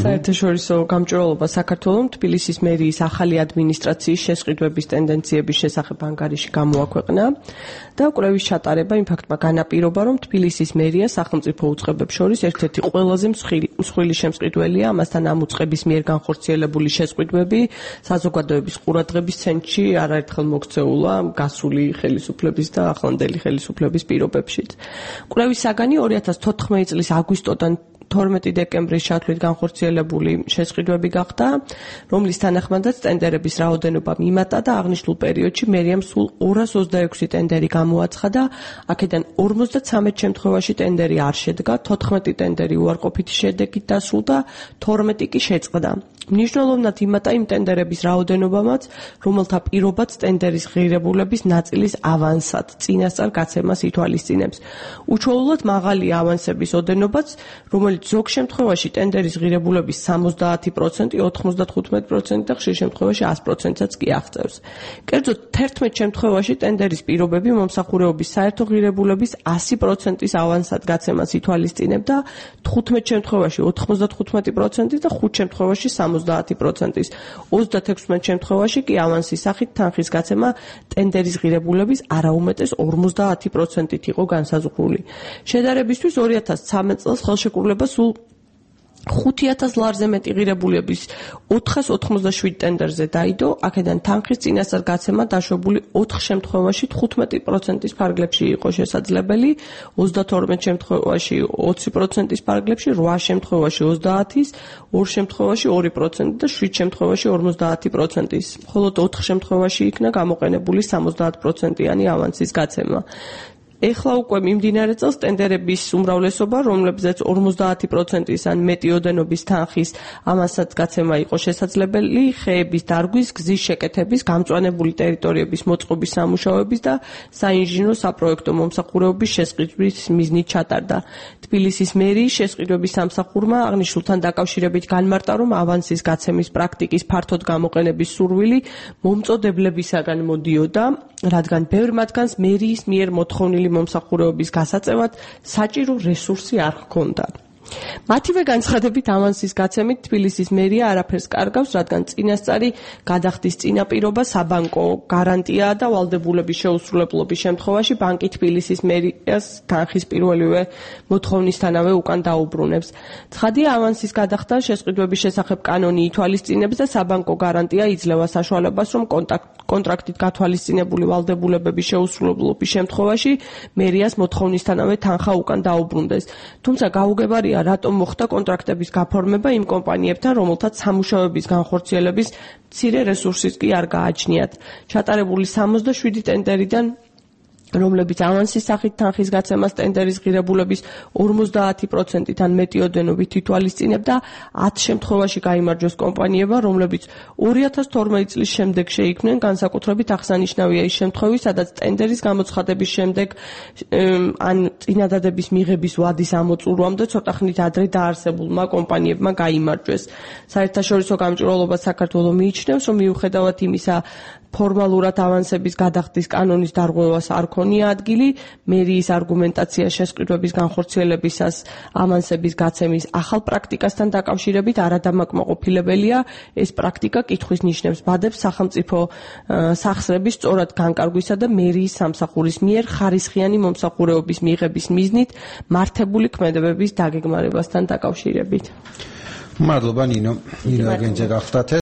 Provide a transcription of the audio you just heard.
საერთაშორისო გამჭვირვალობა საქართველოს თბილისის მერიის ახალი ადმინისტრაციის შესყიდვების ტენდენციების შესახებ ანგარიში გამოაქვეყნა და კვლევის ჩატარება იმ ფაქტმა განაპირობა, რომ თბილისის მერია სახელმწიფო უწყებებს შორის ერთ-ერთი ყველაზე მსხვილი შემსყიდველია, ამასთან ამ უწყების მიერ განხორციელებული შესყიდვები საზოგადოების ყურადღების ცენტრში არაერთხელ მოქცეულა გასული ხელისუფლების და ახლანდელი ხელისუფლების პირობებშიც. კვლევის საგანი 2014 წლის აგვისტოდან 12 დეკემბრის ჩათვლით განხორციელებული შესყიდვები გახდა, რომლის თანახმადაც ტენდერების რაოდენობა მიმატა და აღნიშნულ პერიოდში მერიამ სულ 226 ტენდერი გამოაცხადა, აქედან 53 შემთხვევაში ტენდერი არ შედგა, 14 ტენდერი უარყოფითი შედეგით დასრულდა, 12 კი შეწყდა. მნიშვნელოვნად იმატა იმ ტენდერების რაოდენობამაც, რომელთა პირობაც ტენდერის ღირებულების ნაწილის ავანსად, წინასწარ გაცემას ითვალისწინებს. უჩვეულოდ მაღალია ავანსების ოდენობაც, რომელიც ზოგ შემთხვევაში ტენდერის ღირებულების 70%, 95% და ხშირ შემთხვევაში 100%-აც კი აღწევს. კერძოდ 11 შემთხვევაში ტენდერის პირობები მომსახურეობის საერთო ღირებულების 100%-ის ავანსად გაცემას ითვალისწინებდა, 15 შემთხვევაში 95% და 5 შემთხვევაში 70%-ის, 36 შემთხვევაში კი ავანსის სახით თანხის გაცემა ტენდერის ღირებულების არაუმეტეს 50%-ით იყო განსაზღვრული. შედარებისთვის 2013 წელს ხელშეკრულება სულ 5000 ლარზე მეტი ღირებულების 487 ტენდერზე დაიდო, აქედან თანხის წინასწარ გაცემა დაშვებული 4 შემთხვევაში 15%-ის ფარგლებში იყო შესაძლებელი, 32 შემთხვევაში 20%-ის ფარგლებში, 8 შემთხვევაში 30-ის, 2 შემთხვევაში 2% და 7 შემთხვევაში 50%-ის. მხოლოდ 4 შემთხვევაში იქნა გამოყენებული 70%-იანი ავანსის გაცემა. ეხლა უკვე მიმდინარე წელს ტენდერების უმრავლესობა, რომლებზეც 50%-ის ან მეტი ოდენობის თანხის ამასაც გაცემა იყო შესაძლებელი, ხეების დარგვის, გზის შეკეთების, გამწვანებული ტერიტორიების მოწყობის სამუშაოების და საინჟინრო საპროექტო მომსახურეობის შესყიდვის მიზნით ჩატარდა. თბილისის მერიის შესყიდვების სამსახურმა აღნიშნულთან დაკავშირებით განმარტა, რომ ავანსის გაცემის პრაქტიკის ფართოდ გამოყენების სურვილი მომწოდებლებისაგან მოდიოდა, რადგან ბევრ მათგანს მერიის მიერ მოთხოვნილი მომსახურეობის გასაწევად საჭირო რესურსი არ ჰქონდა. მათივე განცხადებით ავანსის გაცემით თბილისის მერია არაფერს კარგავს, რადგან წინასწარი გადახდის წინაპირობა საბანკო გარანტიაა და ვალდებულების შეუსრულებლობის შემთხვევაში ბანკი თბილისის მერიას თანხის პირველივე მოთხოვნისთანავე უკან დაუბრუნებს. ცხადია, ავანსის გადახდა შესყიდვების შესახებ კანონი ითვალისწინებს და საბანკო გარანტია იძლევა საშუალებას, რომ კონტრაქტით გათვალისწინებული ვალდებულებების შეუსრულებლობის შემთხვევაში მერიას მოთხოვნისთანავე თანხა უკან დაუბრუნდეს. თუმცა გაუგებარია, რატომ მოხდა კონტრაქტების გაფორმება იმ კომპანიებთან, რომელთაც სამუშაოების განხორციელების მცირე რესურსიც კი არ გააჩნიათ. ჩატარებული 67 ტენდერიდან, რომლებიც ავანსის სახით თანხის გაცემას ტენდერის ღირებულების 50%-თან მეტი ოდენობით ითვალისწინებდა, 10 შემთხვევაში გაიმარჯვეს კომპანიებმა, რომლებიც 2012 წლის შემდეგ შეიქმნენ, განსაკუთრებით აღსანიშნავია ის შემთხვევები, სადაც ტენდერის გამოცხადების შემდეგ ან წინადადების მიღების ვადის ამოწურვამდე ცოტა ხნით ადრე დაარსებულმა კომპანიებმა გაიმარჯვეს. საერთაშორისო გამჭვირვალობა საქართველოს მიიჩნევს, რომ მიუხედავად იმისა, ფორმალურად ავანსების გადახდის კანონის დარღვევას არ ქონია ადგილი, მერიის არგუმენტაცია შესყიდვების განხორციელებისას ავანსების გაცემის ახალ პრაქტიკასთან დაკავშირებით არადამაკმაყოფილებელია. ეს პრაქტიკა კითხვის ნიშნებს ბადებს სახელმწიფო სახსრების სწორად განკარგვისა და მერიის სამსახურის მიერ ხარისხიანი მომსახურეობის მიღების მიზნით მართებული ქმედებების დაგეგმარებასთან დაკავშირებით. მადლობა ნინო, აგენჯე გახდათ.